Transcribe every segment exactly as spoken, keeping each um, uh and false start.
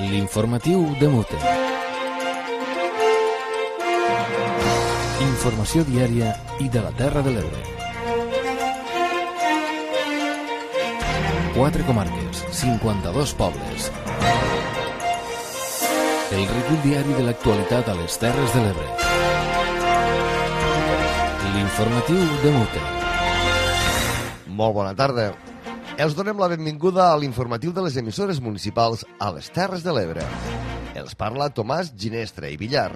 L'informatiu de Mute. Informació diària i de la Terra de l'Ebre. Quatre comarques, cinquanta-dos pobles. El recull diari de l'actualitat a les Terres de l'Ebre. L'informatiu de Mute. Molt bona tarda. Els donem la benvinguda a l'informatiu de les emissores municipals a les Terres de l'Ebre. Els parla Tomàs Ginestra i Villar.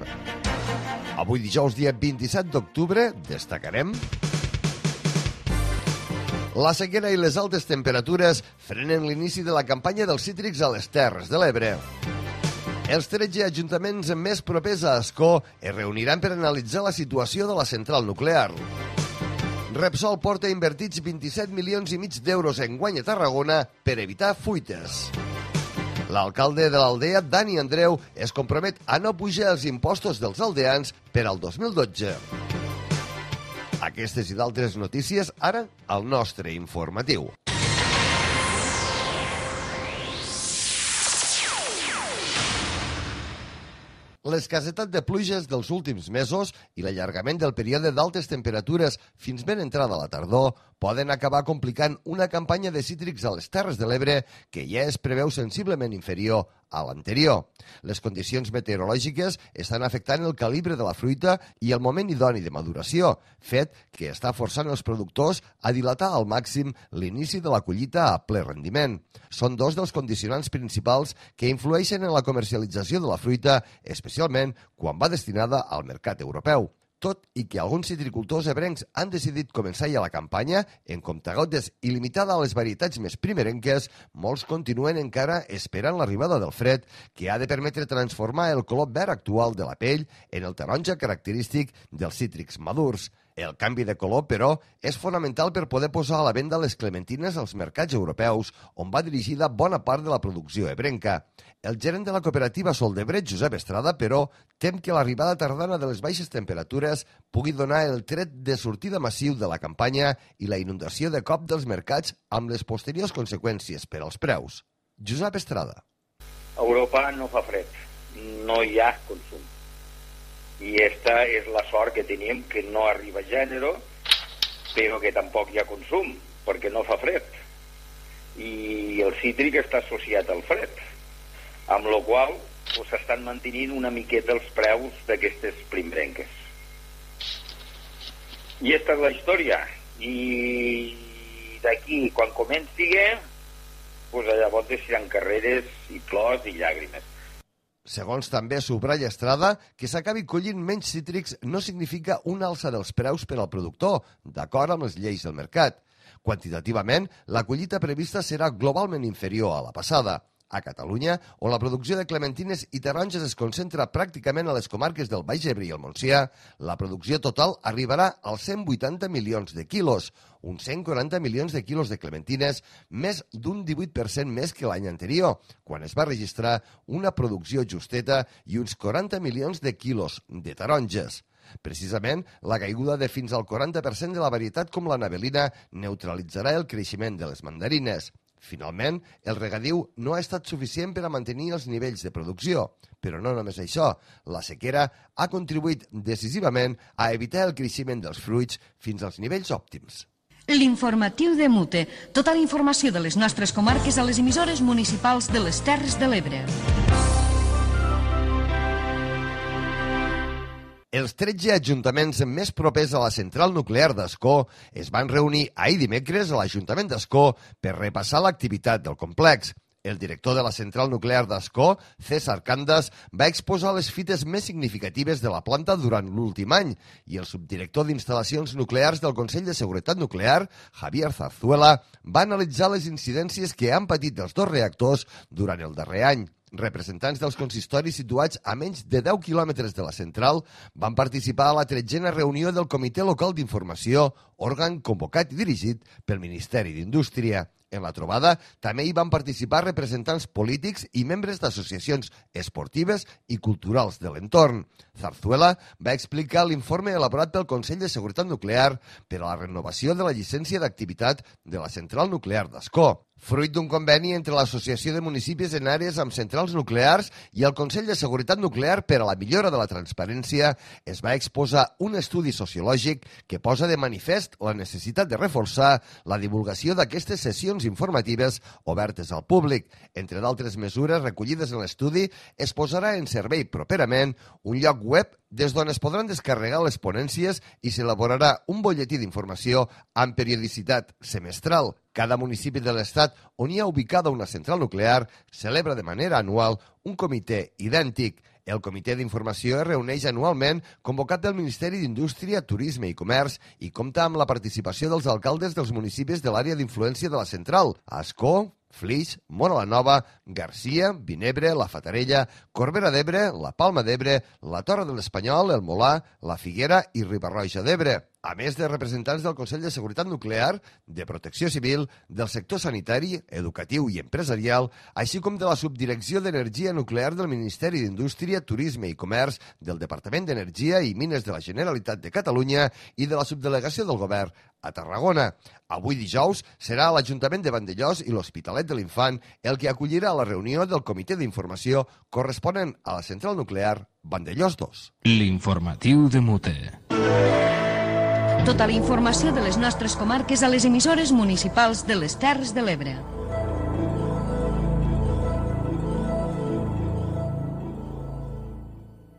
Avui dijous, dia vint-i-set d'octubre, destacarem: la sequera i les altes temperatures frenen l'inici de la campanya dels cítrics a les Terres de l'Ebre. Els tretze ajuntaments més propers a Ascó es reuniran per analitzar la situació de la central nuclear. Repsol porta invertits vint-i-set milions i mig d'euros en guany a Tarragona per evitar fuites. L'alcalde de l'Aldea, Dani Andreu, es compromet a no pujar els impostos dels aldeans per al dos mil dotze. Aquestes i d'altres notícies ara al nostre informatiu. L'escassetat de pluges dels últims mesos i l'allargament del període d'altes temperatures fins ben entrada la tardor poden acabar complicant una campanya de cítrics a les Terres de l'Ebre que ja es preveu sensiblement inferior a l'anterior. Les condicions meteorològiques estan afectant el calibre de la fruita i el moment idoni de maduració, fet que està forçant els productors a dilatar al màxim l'inici de la collita a ple rendiment. Són dos dels condicionants principals que influeixen en la comercialització de la fruita, especialment quan va destinada al mercat europeu. Tot i que alguns citricultors ebrencs han decidit començar ja la campanya, en comptagotes i limitada a les varietats més primerenques, molts continuen encara esperant l'arribada del fred, que ha de permetre transformar el color verd actual de la pell en el taronja característic dels cítrics madurs. El canvi de color, però, és fonamental per poder posar a la venda les clementines als mercats europeus, on va dirigida bona part de la producció ebrenca. El gerent de la cooperativa Soldebret, Josep Estrada, però, tem que l'arribada tardana de les baixes temperatures pugui donar el tret de sortida massiu de la campanya i la inundació de cop dels mercats amb les posteriors conseqüències per als preus. Josep Estrada. A Europa no fa fred, no hi ha consum. I esta és la sort que tenim, que no arriba gènere, però que tampoc hi ha consum, perquè no fa fred. I el cítric està associat al fred, amb la qual s'estan mantenint una miqueta els preus d'aquestes primerenques. I esta és la història. I d'aquí, quan comenci, pues llavors deixaran carreres i plors i llàgrimes. Segons també subratlla Estrada, que s'acabi collint menys cítrics no significa una alça dels preus per al productor, d'acord amb les lleis del mercat. Quantitativament, la collita prevista serà globalment inferior a la passada. A Catalunya, on la producció de clementines i taronges es concentra pràcticament a les comarques del Baix Ebre i el Montsià, la producció total arribarà als cent vuitanta milions de quilos, uns cent quaranta milions de quilos de clementines, més d'un divuit per cent més que l'any anterior, quan es va registrar una producció justeta i uns quaranta milions de quilos de taronges. Precisament, la caiguda de fins al quaranta per cent de la varietat com la navelina neutralitzarà el creixement de les mandarines. Finalment, el regadiu no ha estat suficient per a mantenir els nivells de producció. Però no només això, la sequera ha contribuït decisivament a evitar el creixement dels fruits fins als nivells òptims. L'informatiu de Mute. Tota la informació de les nostres comarques a les emissores municipals de les Terres de l'Ebre. Els tretze ajuntaments més propers a la central nuclear d'Ascó es van reunir ahir dimecres a l'Ajuntament d'Ascó per repassar l'activitat del complex. El director de la central nuclear d'Ascó, César Candas, va exposar les fites més significatives de la planta durant l'últim any i el subdirector d'instal·lacions nuclears del Consell de Seguretat Nuclear, Javier Zarzuela, va analitzar les incidències que han patit els dos reactors durant el darrer any. Representants dels consistoris situats a menys de deu quilòmetres de la central van participar a la tretzena reunió del Comitè Local d'Informació, òrgan convocat i dirigit pel Ministeri d'Indústria. En la trobada també hi van participar representants polítics i membres d'associacions esportives i culturals de l'entorn. Zarzuela va explicar l'informe elaborat pel Consell de Seguretat Nuclear per a la renovació de la llicència d'activitat de la central nuclear d'Ascó. Fruit d'un conveni entre l'Associació de Municipis en àrees amb centrals nuclears i el Consell de Seguretat Nuclear per a la millora de la transparència, es va exposar un estudi sociològic que posa de manifest la necessitat de reforçar la divulgació d'aquestes sessions informatives obertes al públic. Entre d'altres mesures recollides en l'estudi, es posarà en servei properament un lloc web des d'on es podran descarregar les ponències i s'elaborarà un butlletí d'informació amb periodicitat semestral. Cada municipi de l'Estat on hi ha ubicada una central nuclear celebra de manera anual un comitè idèntic. El Comitè d'Informació es reuneix anualment convocat del Ministeri d'Indústria, Turisme i Comerç i compta amb la participació dels alcaldes dels municipis de l'àrea d'influència de la central, Ascó, Flix, Móra la Nova, Garcia, Vinebre, la Fatarella, Corbera d'Ebre, la Palma d'Ebre, la Torre de l'Espanyol, el Molà, la Figuera i Riba-roja d'Ebre, a més de representants del Consell de Seguretat Nuclear, de Protecció Civil, del sector sanitari, educatiu i empresarial, així com de la Subdirecció d'Energia Nuclear del Ministeri d'Indústria, Turisme i Comerç, del Departament d'Energia i Mines de la Generalitat de Catalunya i de la Subdelegació del Govern a Tarragona. Avui dijous serà l'Ajuntament de Vandellòs i l'Hospitalet de l'Infant el que acollirà la reunió del Comitè d'Informació corresponent a la central nuclear Vandellòs dos. L'informatiu de Mute. Tota la informació de les nostres comarques a les emissores municipals de les Terres de l'Ebre.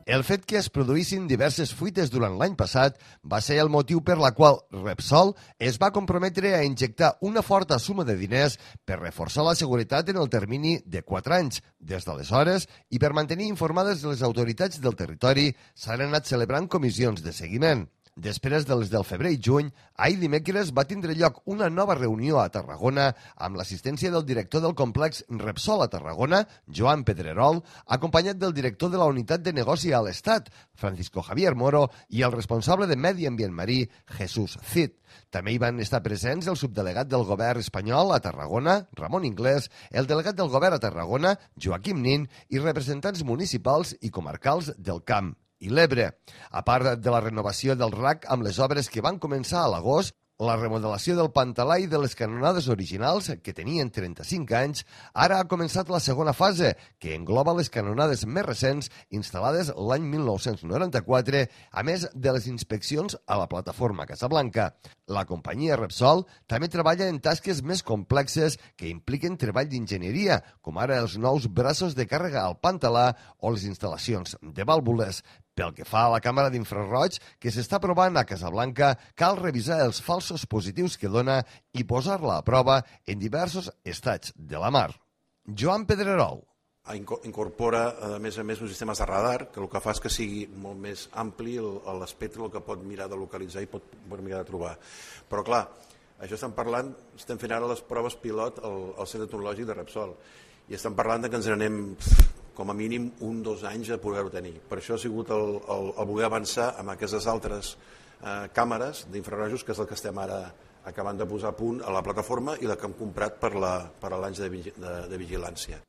El fet que es produïssin diverses fuites durant l'any passat va ser el motiu per la qual Repsol es va comprometre a injectar una forta suma de diners per reforçar la seguretat en el termini de quatre anys. Des d'aleshores, i per mantenir informades les autoritats del territori, s'han anat celebrant comissions de seguiment. Després dels del febrer i juny, ahir dimecres va tindre lloc una nova reunió a Tarragona amb l'assistència del director del complex Repsol a Tarragona, Joan Pedrerol, acompanyat del director de la unitat de negoci a l'Estat, Francisco Javier Moro, i el responsable de Medi Ambient Marí, Jesús Cid. També hi van estar presents el subdelegat del govern espanyol a Tarragona, Ramon Inglés, el delegat del govern a Tarragona, Joaquim Nin, i representants municipals i comarcals del Camp i l'Ebre. A part de la renovació del R A C amb les obres que van començar a l'agost, la remodelació del Pantalà i de les canonades originals, que tenien trenta-cinc anys, ara ha començat la segona fase, que engloba les canonades més recents instal·lades l'any mil nou-cents noranta-quatre, a més de les inspeccions a la plataforma Casablanca. La companyia Repsol també treballa en tasques més complexes que impliquen treball d'enginyeria, com ara els nous braços de càrrega al Pantalà o les instal·lacions de vàlvules. Pel que fa a la càmera d'infraroig que s'està provant a Casablanca, cal revisar els falsos positius que dona i posar-la a prova en diversos estats de la mar. Joan Pedrerol. Incorpora, a més a més, uns sistemes de radar, que el que fa és que sigui molt més ampli l'espectre, el que pot mirar de localitzar i pot, pot mirar de trobar. Però, clar, això estem parlant, estem fent ara les proves pilot al, al Centre Tecnològic de Repsol, i estem parlant de que ens n'anem com a mínim un o dos anys a poder-ho tenir. Per això ha sigut el, el, el voler avançar amb aquestes altres eh, càmeres d'infrarojos, que és el que estem ara acabant de posar a punt a la plataforma i la que hem comprat per a l'any de, de, de vigilància.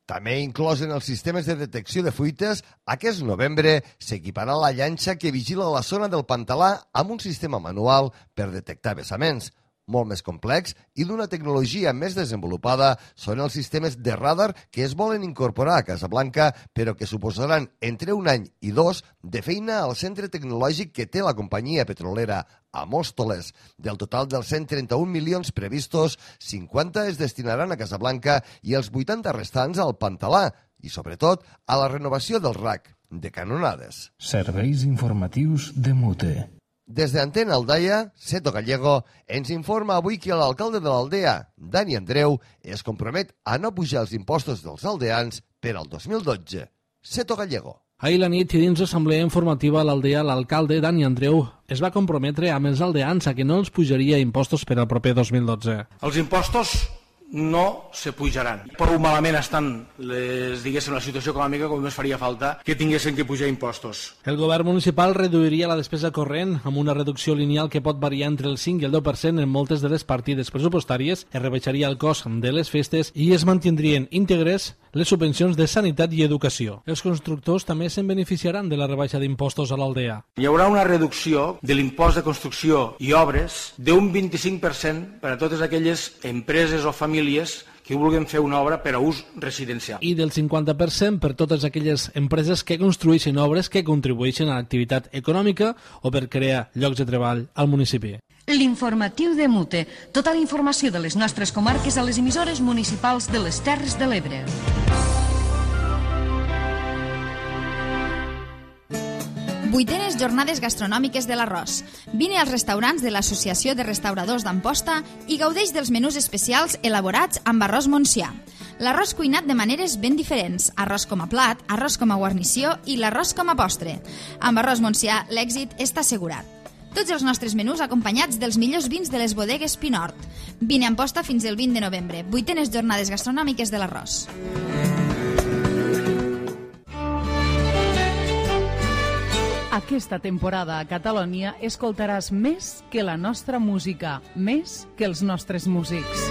També inclòs en els sistemes de detecció de fuites, aquest novembre s'equiparà la llanxa que vigila la zona del Pantalà amb un sistema manual per detectar vessaments. Molt més complex i d'una tecnologia més desenvolupada són els sistemes de radar que es volen incorporar a Casablanca, però que suposaran entre un any i dos de feina al centre tecnològic que té la companyia petrolera a Móstoles. Del total dels cent trenta-un milions previstos, cinquanta es destinaran a Casablanca i els vuitanta restants al Pantalà i, sobretot, a la renovació del R A C de canonades. Serveis informatius de Mute. Des d'Antena Aldaia, Seto Gallego ens informa avui que l'alcalde de l'Aldea, Dani Andreu, es compromet a no pujar els impostos dels aldeans per al dos mil dotze. Seto Gallego. Ahir la nit, i dins l'assemblea informativa a l'Aldea, l'alcalde Dani Andreu es va comprometre amb els aldeans a que no els pujaria impostos per al proper dos mil dotze. Els impostos no se pujaran. Prou malament estan les, diguéssim, la situació econòmica com més faria falta que tinguessin que pujar impostos. El govern municipal reduiria la despesa corrent amb una reducció lineal que pot variar entre el cinc i el deu per cent en moltes de les partides pressupostàries, es rebaixaria el cost de les festes i es mantindrien íntegres les subvencions de sanitat i educació. Els constructors també se'n beneficiaran de la rebaixa d'impostos a l'Aldea. Hi haurà una reducció de l'impost de construcció i obres d'un vint-i-cinc per cent per a totes aquelles empreses o famílies que vulguin fer una obra per a ús residencial. I del cinquanta per cent per totes aquelles empreses que construeixen obres que contribueixen a l'activitat econòmica o per crear llocs de treball al municipi. L'informatiu de Mute. Tota la informació de les nostres comarques a les emissores municipals de les Terres de l'Ebre. Vuitenes jornades gastronòmiques de l'arròs. Vine als restaurants de l'Associació de Restauradors d'Amposta i gaudeix dels menús especials elaborats amb arròs Montsià. L'arròs cuinat de maneres ben diferents, arròs com a plat, arròs com a guarnició i l'arròs com a postre. Amb arròs Montsià l'èxit està assegurat. Tots els nostres menús acompanyats dels millors vins de les bodegues Pinort. Vine a Amposta fins el vint de novembre. Vuitenes jornades gastronòmiques de l'arròs. Aquesta temporada a Catalunya escoltaràs més que la nostra música, més que els nostres músics.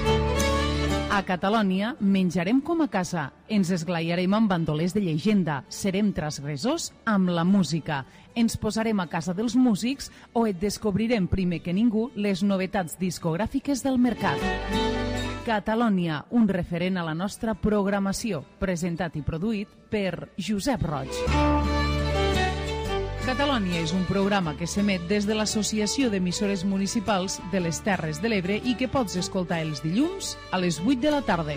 A Catalunya menjarem com a casa, ens esglaiarem amb bandolers de llegenda, serem transgressors amb la música, ens posarem a casa dels músics o et descobrirem primer que ningú les novetats discogràfiques del mercat. Catalunya, un referent a la nostra programació, presentat i produït per Josep Roig. Catalunya és un programa que s'emet des de l'Associació d'Emissores Municipals de les Terres de l'Ebre i que pots escoltar els dilluns a les vuit de la tarda.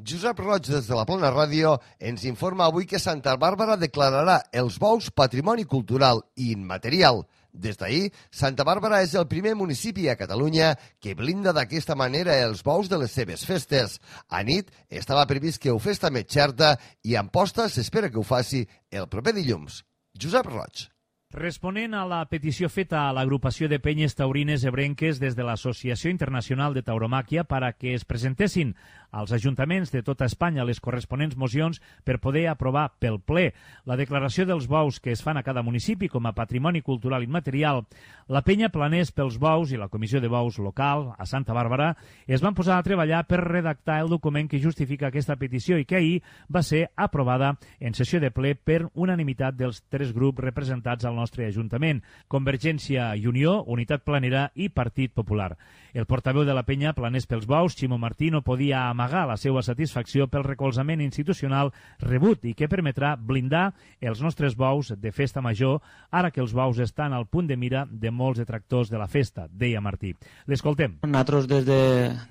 Josep Roig, des de la Plana Ràdio, ens informa avui que Santa Bàrbara declararà els bous patrimoni cultural i immaterial. Des d'ahir, Santa Bàrbara és el primer municipi a Catalunya que blinda d'aquesta manera els bous de les seves festes. A nit estava previst que ho fes també Xerta i Amposta s'espera que ho faci el proper dilluns. Josep Roig. Responent a la petició feta a l'agrupació de penyes taurines ebrenques des de l'Associació Internacional de Tauromàquia per a que es presentessin als ajuntaments de tota Espanya les corresponents mocions per poder aprovar pel ple la declaració dels bous que es fan a cada municipi com a patrimoni cultural immaterial, la penya Planers pels Bous i la Comissió de Bous local a Santa Bàrbara es van posar a treballar per redactar el document que justifica aquesta petició i que ahir va ser aprovada en sessió de ple per unanimitat dels tres grups representats al nostre Ajuntament, Convergència i Unió, Unitat Planera i Partit Popular. El portaveu de la penya Planers pels Bous, Ximo Martí, no podia amagar la seva satisfacció pel recolzament institucional rebut i que permetrà blindar els nostres bous de festa major, ara que els bous estan al punt de mira de molts detractors de la festa, deia Martí. L'escoltem. Nosaltres des de,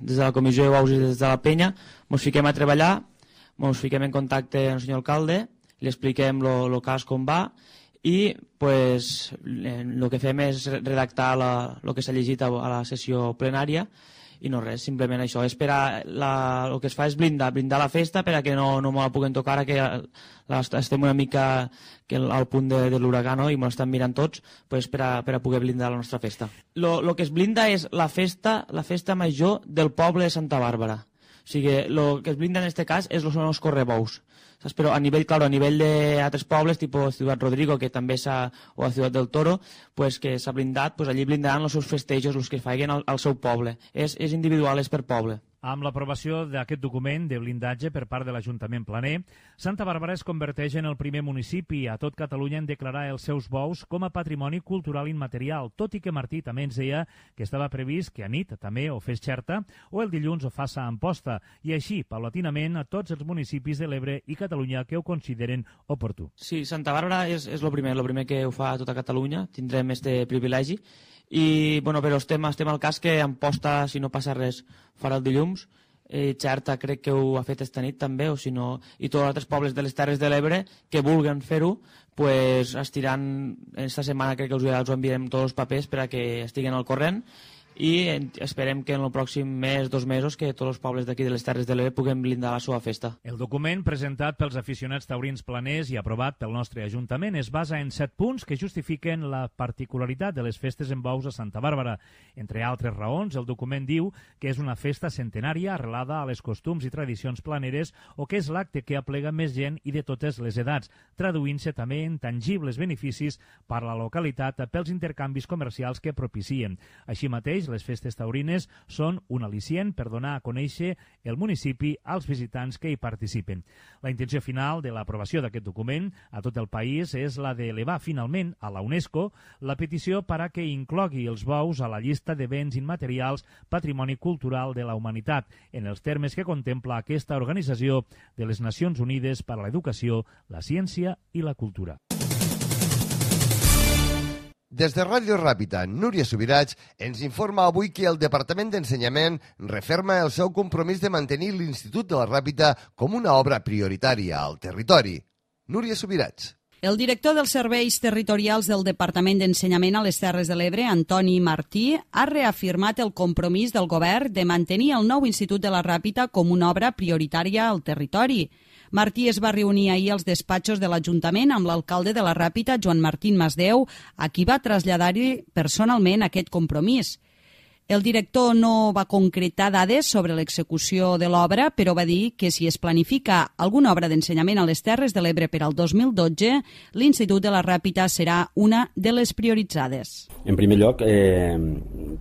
des de la Comissió de Bous i des de la penya ens fiquem a treballar, ens fiquem en contacte amb el senyor alcalde, li expliquem el cas com va i pues, el que fem és redactar el que s'ha llegit a la sessió plenària i no res, simplement això, esperar la, el que es fa és blindar, blindar la festa per a que no, no me la puguen tocar, ara que la, estem una mica que al punt de, de l'huracà, no? I me l'estan mirant tots pues, per, a, per a poder blindar la nostra festa. El que es blinda és la festa, la festa major del poble de Santa Bàrbara. O sigui, el que es blinda en aquest cas és, són els correbous. Saps? Però a nivell, claro, a nivell d'altres pobles, tipus Ciutat Rodrigo, que també s'ha, o a Ciutat del Toro, pues, que s'ha blindat, pues, allí blindaran els seus festejos, els que facin al, al seu poble. És, és individual, és per poble. Amb l'aprovació d'aquest document de blindatge per part de l'Ajuntament Planer, Santa Bàrbara es converteix en el primer municipi a tot Catalunya en declarar els seus bous com a patrimoni cultural immaterial, tot i que Martí també ens deia que estava previst que a nit també ho fes Xerta o el dilluns ho faça a Amposta, i així, paulatinament, a tots els municipis de l'Ebre i Catalunya que ho consideren oportú. Sí, Santa Bàrbara és, és el primer, el primer que ho fa a tota Catalunya, tindrem este privilegi. I, bueno, però estem, estem al cas que Amposta, si no passa res, farà el dilluns. Eh, Xerta crec que ho ha fet esta nit també, o si no, i tots els altres pobles de les Terres de l'Ebre que vulguen fer-ho, pues estiran, esta setmana crec que us, us enviarem tots els papers per a que estiguen al corrent, i esperem que en el pròxim mes, dos mesos, que tots els pobles d'aquí de les Terres de l'Ebre puguem blindar la seva festa. El document presentat pels aficionats taurins planers i aprovat pel nostre Ajuntament es basa en set punts que justifiquen la particularitat de les festes en bous a Santa Bàrbara. Entre altres raons, el document diu que és una festa centenària arrelada a les costums i tradicions planeres o que és l'acte que aplega més gent i de totes les edats, traduint-se també en tangibles beneficis per a la localitat pels intercanvis comercials que propicien. Així mateix, mateix, les festes taurines són un al·licient per donar a conèixer el municipi als visitants que hi participen. La intenció final de l'aprovació d'aquest document a tot el país és la d'elevar finalment a la UNESCO la petició per a que inclogui els bous a la llista de béns immaterials patrimoni cultural de la humanitat, en els termes que contempla aquesta organització de les Nacions Unides per a l'Educació, la Ciència i la Cultura. Des de Ràdio Ràpita, Núria Subirats ens informa avui que el Departament d'Ensenyament referma el seu compromís de mantenir l'Institut de la Ràpita com una obra prioritària al territori. Núria Subirats. El director dels Serveis Territorials del Departament d'Ensenyament a les Terres de l'Ebre, Antoni Martí, ha reafirmat el compromís del govern de mantenir el nou Institut de la Ràpita com una obra prioritària al territori. Martí es va reunir ahir als despatxos de l'Ajuntament amb l'alcalde de la Ràpita, Joan Martín Masdeu, a qui va traslladar-hi personalment aquest compromís. El director no va concretar dades sobre l'execució de l'obra, però va dir que si es planifica alguna obra d'ensenyament a les Terres de l'Ebre per al dos mil dotze, l'Institut de la Ràpita serà una de les prioritzades. En primer lloc, eh,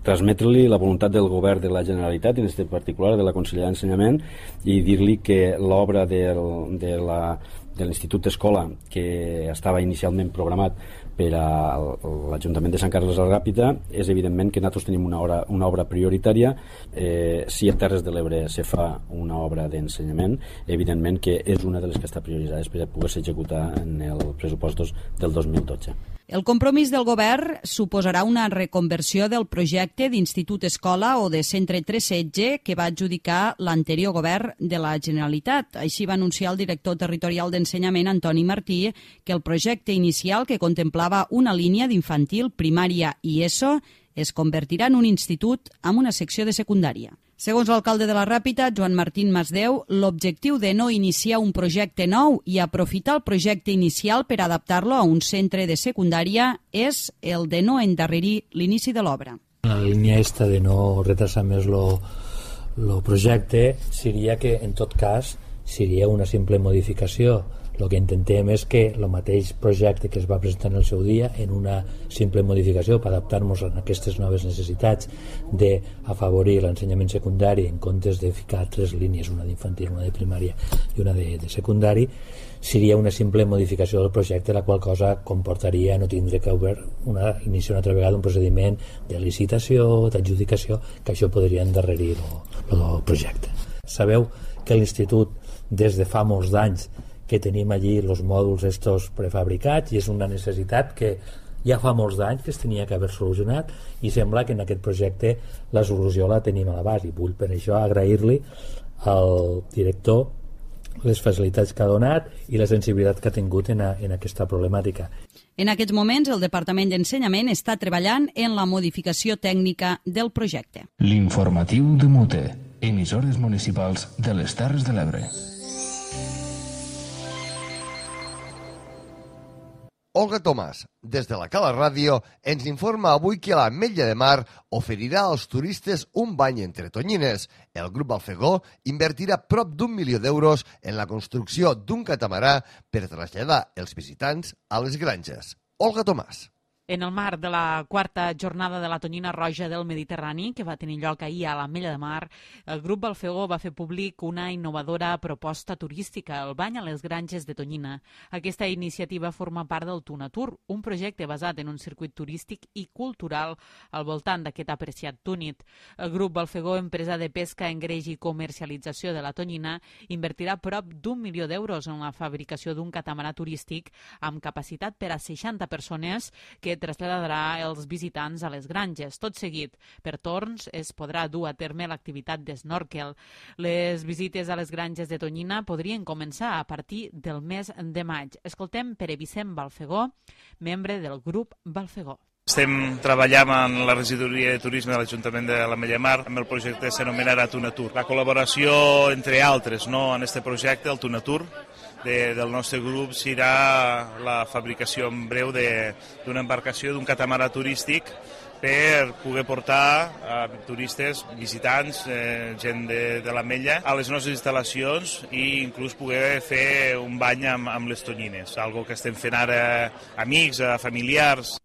transmetre-li la voluntat del govern de la Generalitat, en aquest particular de la Conselleria d'Ensenyament, i dir-li que l'obra del, de la de l'Institut d'Escola, que estava inicialment programat per a l'Ajuntament de Sant Carles de la Ràpita, és evidentment que nosaltres tenim una obra, una obra prioritària. Eh, si a Terres de l'Ebre se fa una obra d'ensenyament, evidentment que és una de les que està prioritzada per poder-se executar en els pressupostos del dos mil dotze. El compromís del govern suposarà una reconversió del projecte d'Institut Escola o de Centre tres setze que va adjudicar l'anterior govern de la Generalitat. Així va anunciar el director territorial d'Ensenyament, Antoni Martí, que el projecte inicial, que contemplava una línia d'infantil, primària i ESO, es convertirà en un institut amb una secció de secundària. Segons l'alcalde de la Ràpita, Joan Martín Masdeu, l'objectiu de no iniciar un projecte nou i aprofitar el projecte inicial per adaptar-lo a un centre de secundària és el de no endarrerir l'inici de l'obra. La línia esta de no retrasar més el projecte seria que, en tot cas, seria una simple modificació. El que intentem és que el mateix projecte que es va presentar en el seu dia, en una simple modificació per adaptar-nos a aquestes noves necessitats d'afavorir l'ensenyament secundari en comptes de ficar tres línies, una d'infantil, una de primària i una de, de secundari, seria una simple modificació del projecte, la qual cosa comportaria no tindre que haver una, iniciar una altra vegada un procediment de licitació, d'adjudicació, que això podria endarrerir el projecte. Sabeu que l'Institut, des de fa molts d'anys, que tenim allí els mòduls estos prefabricats, i és una necessitat que ja fa molts anys que es tenia que haver solucionat, i sembla que en aquest projecte la solució la tenim a l'abast, i vull per això agrair-li al director les facilitats que ha donat i la sensibilitat que ha tingut en, a, en aquesta problemàtica. En aquests moments, el Departament d'Ensenyament està treballant en la modificació tècnica del projecte. L'informatiu de Mute, emissores municipals de les Terres de l'Ebre. Olga Tomàs, des de la Cala Ràdio, ens informa avui que l'Ametlla de Mar oferirà als turistes un bany entre tonyines. El grup Balfegó invertirà prop d'un milió d'euros en la construcció d'un catamarà per traslladar els visitants a les granges. Olga Tomàs. En el marc de la quarta jornada de la tonyina roja del Mediterrani, que va tenir lloc ahir a l'Ametlla de Mar, el grup Balfegó va fer públic una innovadora proposta turística, el bany a les granges de tonyina. Aquesta iniciativa forma part del Tunatur, un projecte basat en un circuit turístic i cultural al voltant d'aquest apreciat túnid. El grup Balfegó, empresa de pesca, engreix i comercialització de la tonyina, invertirà prop d'un milió d'euros en la fabricació d'un catamarà turístic amb capacitat per a seixanta persones que traslladarà els visitants a les granges. Tot seguit, per torns, es podrà dur a terme l'activitat d'esnorkel. Les visites a les granges de tonyina podrien començar a partir del mes de maig. Escoltem Pere Vicent Balfegó, membre del grup Balfegó. Estem treballant en la regidoria de turisme de l'Ajuntament de l'Ametlla de Mar amb el projecte que s'anomenarà Tunatur. La col·laboració, entre altres, no, en aquest projecte, el Tunatur, de, del nostre grup, serà la fabricació en breu d'una embarcació, d'un catamarà turístic, per poder portar a turistes, visitants, eh, gent de, de l'Ametlla, a les nostres instal·lacions i inclús poder fer un bany amb, amb les tonyines, algo que estem fent ara amics, familiars.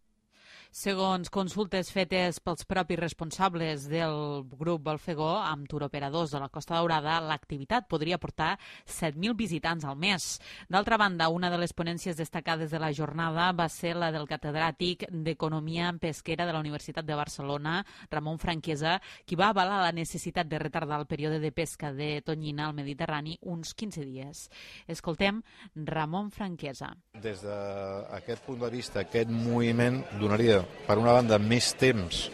Segons consultes fetes pels propis responsables del grup Balfegó amb turoperadors de la Costa Daurada, l'activitat podria portar set mil visitants al mes. D'altra banda, una de les ponències destacades de la jornada va ser la del catedràtic d'Economia Pesquera de la Universitat de Barcelona, Ramon Franquesa, qui va avalar la necessitat de retardar el període de pesca de tonyina al Mediterrani uns quinze dies. Escoltem Ramon Franquesa. Des d'aquest punt de vista, aquest moviment donaria, per una banda, més temps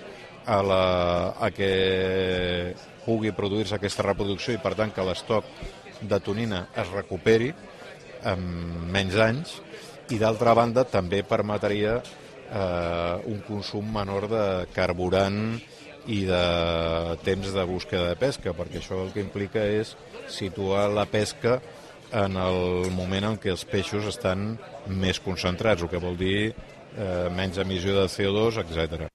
a, la, a que pugui produir-se aquesta reproducció i, per tant, que l'estoc de tonina es recuperi en menys anys, i, d'altra banda, també permetria eh, un consum menor de carburant i de temps de búsqueda de pesca, perquè això el que implica és situar la pesca en el moment en què els peixos estan més concentrats, el que vol dir eh, menys emissió de C O dos, etcètera.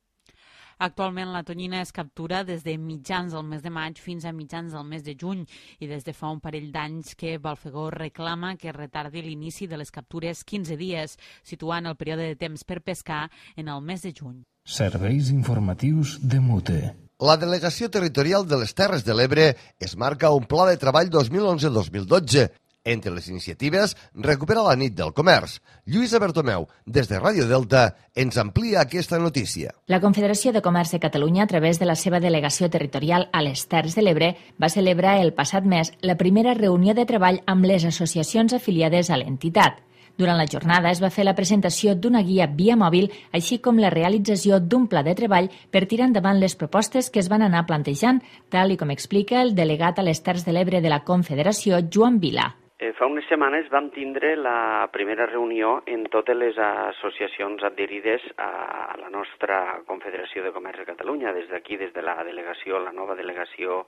Actualment la tonyina es captura des de mitjans del mes de maig fins a mitjans del mes de juny i des de fa un parell d'anys que Balfegó reclama que retardi l'inici de les captures quinze dies, situant el període de temps per pescar en el mes de juny. Serveis informatius de Mute. La Delegació Territorial de les Terres de l'Ebre es marca un pla de treball dos mil onze dos mil dotze. Entre les iniciatives, recupera la nit del comerç. Lluïsa Bertomeu, des de Ràdio Delta, ens amplia aquesta notícia. La Confederació de Comerç de Catalunya, a través de la seva delegació territorial a les Terres de l'Ebre, va celebrar el passat mes la primera reunió de treball amb les associacions afiliades a l'entitat. Durant la jornada es va fer la presentació d'una guia via mòbil, així com la realització d'un pla de treball per tirar endavant les propostes que es van anar plantejant, tal i com explica el delegat a les Terres de l'Ebre de la Confederació, Joan Vila. Eh, fa unes setmanes vam tindre la primera reunió en totes les associacions adherides a la nostra Confederació de Comerç de Catalunya, des d'aquí, des de la delegació, la nova delegació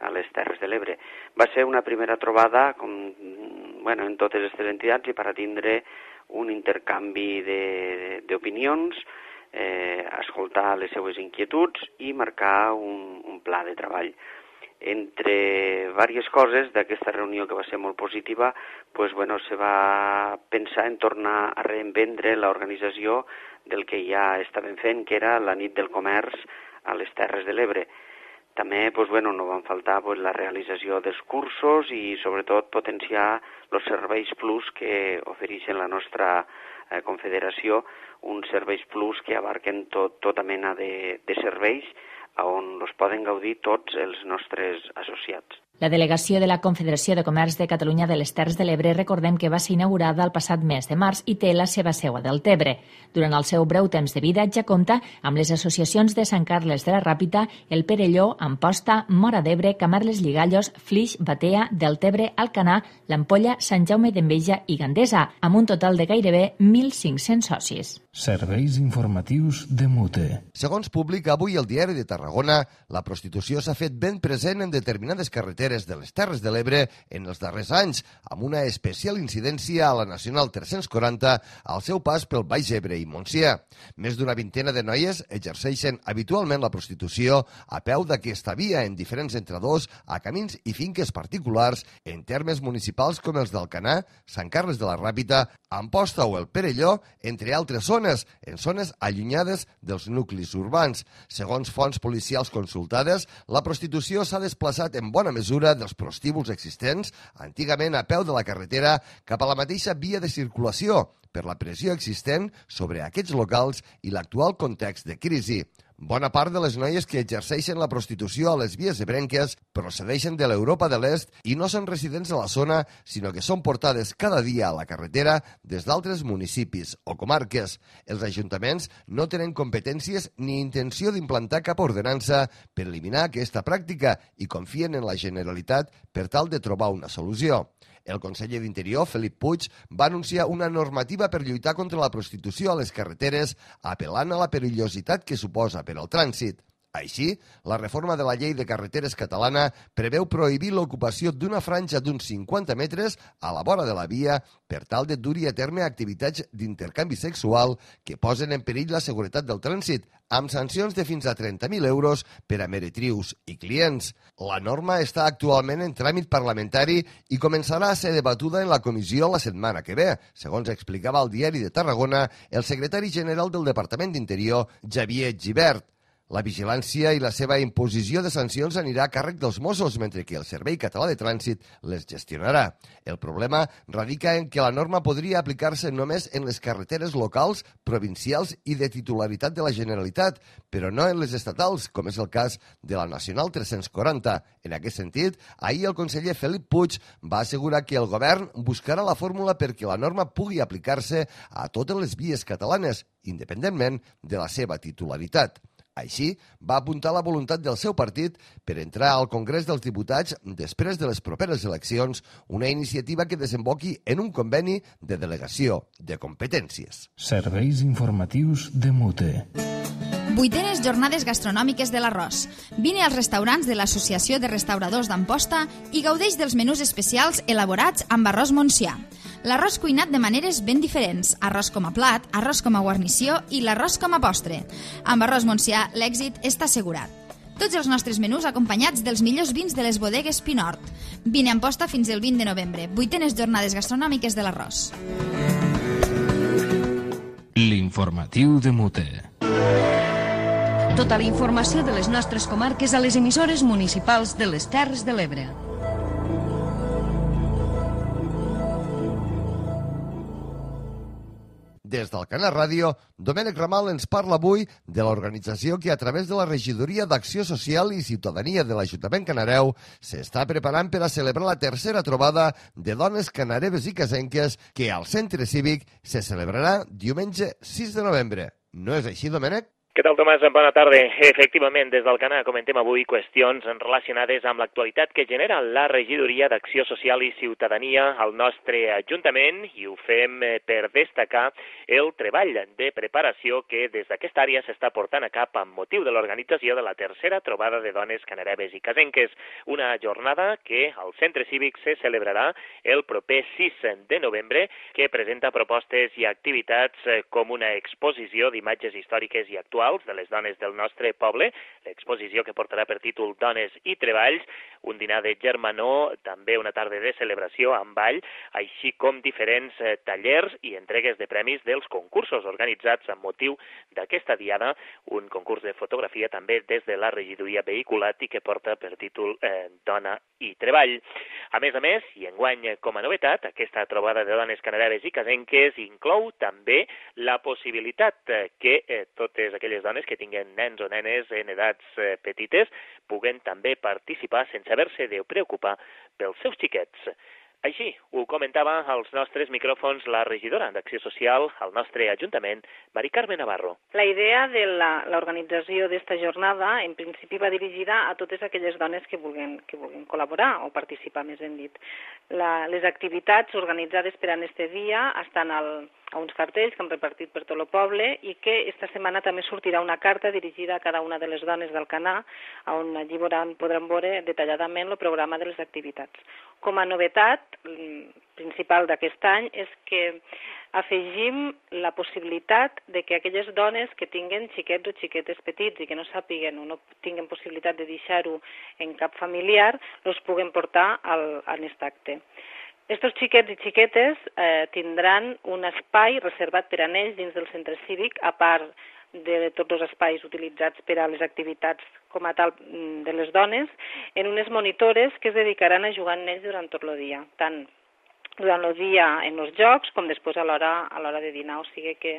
a les Terres de l'Ebre. Va ser una primera trobada com, bueno, en totes aquestes entitats i per a tindre un intercanvi d'opinions, eh, escoltar les seues inquietuds i marcar un, un pla de treball. Entre diverses coses d'aquesta reunió, que va ser molt positiva, pues, bueno, se va pensar en tornar a reinvendre l'organització del que ja estaven fent, que era la nit del comerç a les Terres de l'Ebre. També pues, bueno, no van faltar pues, la realització dels cursos i sobretot potenciar els serveis plus que ofereixen la nostra eh, confederació, uns serveis plus que abarquen tot, tota mena de, de serveis on els poden gaudir tots els nostres associats. La delegació de la Confederació de Comerç de Catalunya de les Terres de l'Ebre, recordem que va ser inaugurada el passat mes de març i té la seva seu a Deltebre. Durant el seu breu temps de vida ja compta amb les associacions de Sant Carles de la Ràpita, el Perelló, Amposta, Móra d'Ebre, Camarles Lligallos, Flix, Batea, Deltebre, Alcanar, l'Ampolla, Sant Jaume d'Enveja i Gandesa, amb un total de gairebé mil cinc-cents socis. Serveis informatius de Mute. Segons publica avui el Diari de Tarragona, la prostitució s'ha fet ben present en determinades carreteres de les Terres de l'Ebre en els darrers anys, amb una especial incidència a la Nacional tres-cents quaranta al seu pas pel Baix Ebre i Montsià. Més d'una vintena de noies exerceixen habitualment la prostitució a peu d'aquesta via en diferents entradors a camins i finques particulars en termes municipals com els d'Alcanar, Sant Carles de la Ràpita, Amposta o el Perelló, entre altres zones, en zones allunyades dels nuclis urbans. Segons fonts policials consultades, la prostitució s'ha desplaçat en bona mesura dels prostíbuls existents, antigament a peu de la carretera, cap a la mateixa via de circulació, per la pressió existent sobre aquests locals i l'actual context de crisi. Bona part de les noies que exerceixen la prostitució a les vies ebrenques procedeixen de l'Europa de l'Est i no són residents a la zona, sinó que són portades cada dia a la carretera des d'altres municipis o comarques. Els ajuntaments no tenen competències ni intenció d'implantar cap ordenança per eliminar aquesta pràctica i confien en la Generalitat per tal de trobar una solució. El conseller d'Interior, Felip Puig, va anunciar una normativa per lluitar contra la prostitució a les carreteres, apel·lant a la perillositat que suposa per al trànsit. Així, la reforma de la llei de carreteres catalana preveu prohibir l'ocupació d'una franja d'uns cinquanta metres a la vora de la via per tal de dur-hi a terme activitats d'intercanvi sexual que posen en perill la seguretat del trànsit, amb sancions de fins a trenta mil euros per a meretrius i clients. La norma està actualment en tràmit parlamentari i començarà a ser debatuda en la comissió la setmana que ve, segons explicava al Diari de Tarragona el secretari general del Departament d'Interior, Xavier Gibert. La vigilància i la seva imposició de sancions anirà a càrrec dels Mossos, mentre que el Servei Català de Trànsit les gestionarà. El problema radica en que la norma podria aplicar-se només en les carreteres locals, provincials i de titularitat de la Generalitat, però no en les estatals, com és el cas de la Nacional tres-cents quaranta. En aquest sentit, ahir el conseller Felip Puig va assegurar que el govern buscarà la fórmula perquè la norma pugui aplicar-se a totes les vies catalanes, independentment de la seva titularitat. Així, va apuntar la voluntat del seu partit per entrar al Congrés dels Diputats després de les properes eleccions, una iniciativa que desemboqui en un conveni de delegació de competències. Serveis informatius de Mute. Vuitenes jornades gastronòmiques de l'Arròs. Vine als restaurants de l'Associació de Restauradors d'Amposta i gaudeix dels menús especials elaborats amb arròs Montsià. L'arròs cuinat de maneres ben diferents, arròs com a plat, arròs com a guarnició i l'arròs com a postre. Amb arròs Montsià, l'èxit està assegurat. Tots els nostres menús acompanyats dels millors vins de les bodegues Pinort. Vine a Amposta fins el vint de novembre. Vuitenes jornades gastronòmiques de l'Arròs. L'informatiu de Mute. Tota la informació de les nostres comarques a les emissores municipals de les Terres de l'Ebre. Des d'Alcanar Ràdio, Domènec Ramal ens parla avui de l'organització que a través de la Regidoria d'Acció Social i Ciutadania de l'Ajuntament Canareu s'està preparant per a celebrar la tercera trobada de dones canareves i casenques que al Centre Cívic se celebrarà diumenge sis de novembre. No és així, Domènec? Què tal, Tomàs? Bona tarda. Efectivament, des d'Alcanar comentem avui qüestions relacionades amb l'actualitat que genera la Regidoria d'Acció Social i Ciutadania al nostre Ajuntament i ho fem per destacar el treball de preparació que des d'aquesta àrea s'està portant a cap amb motiu de l'organització de la tercera trobada de dones canareves i casenques, una jornada que al Centre Cívic se celebrarà el proper sis de novembre, que presenta propostes i activitats com una exposició d'imatges històriques i actuals de les dones del nostre poble, l'exposició que portarà per títol Dones i Treballs, un dinar de germanor, també una tarda de celebració amb ball, així com diferents tallers i entregues de premis dels concursos organitzats amb motiu d'aquesta diada, un concurs de fotografia també des de la regidoria vehiculat i que porta per títol eh, Dona i Treball. A més a més, i enguany com a novetat, aquesta trobada de dones canareves i casenques inclou també la possibilitat que eh, totes aquelles les dones que tinguen nens o nenes en edats eh, petites puguen també participar sense haver-se de preocupar pels seus xiquets. Així ho comentava als nostres micròfons la regidora d'Acció Social al nostre Ajuntament, Mari Carme Navarro. La idea de l'organització d'esta jornada en principi va dirigida a totes aquelles dones que vulguin, que vulguin col·laborar o participar, més ben dit. La, les activitats organitzades per a aquest dia estan al, a uns cartells que hem repartit per tot el poble i que esta setmana també sortirà una carta dirigida a cada una de les dones d'Alcanar, on allí podran, podran veure detalladament el programa de les activitats. Com a novetat principal d'aquest any és que afegim la possibilitat de que aquelles dones que tinguen xiquets o xiquetes petits i que no sàpiguen o no tinguen possibilitat de deixar-ho en cap familiar, els puguen portar al, a aquest acte. Estos xiquets i xiquetes eh, tindran un espai reservat per a ells dins del centre cívic, a part de tots els espais utilitzats per a les activitats com a tal de les dones, en unes monitores que es dedicaran a jugar amb ells durant tot el dia, tant durant el dia en els jocs com després a l'hora a l'hora de dinar, o sigui que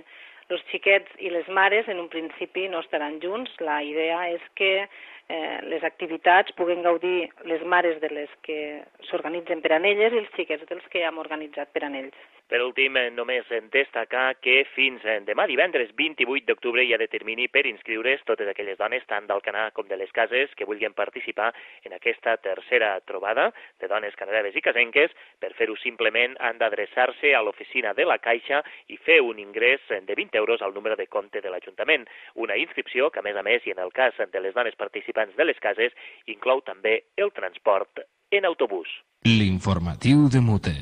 els xiquets i les mares en un principi no estaran junts. La idea és que eh, les activitats puguen gaudir les mares de les que s'organitzen per a elles i els xiquets dels que hem organitzat per a ells. Per últim, només destacar que fins demà divendres vint-i-vuit d'octubre hi ha de termini per inscriure's totes aquelles dones, tant d'Alcanar com de les cases, que vulguin participar en aquesta tercera trobada de dones canadeves i casenques. Per fer-ho simplement han d'adreçar-se a l'oficina de la Caixa i fer un ingrés de vint euros al número de compte de l'Ajuntament. Una inscripció que, a més a més, i en el cas de les dones participants de les cases, inclou també el transport en autobús. L'informatiu de Mute.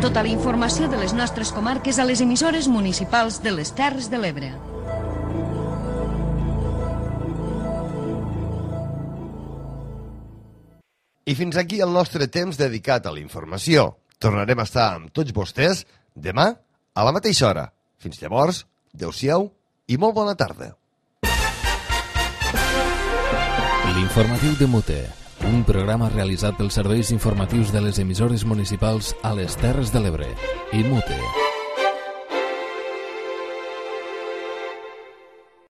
Tota la informació de les nostres comarques a les emissores municipals de les Terres de l'Ebre. I fins aquí el nostre temps dedicat a la informació. Tornarem a estar amb tots vostès demà a la mateixa hora. Fins llavors, adeu-siau i molt bona tarda. L'informatiu de Mute, un programa realitzat pels serveis informatius de les emissores municipals a les Terres de l'Ebre i Mute.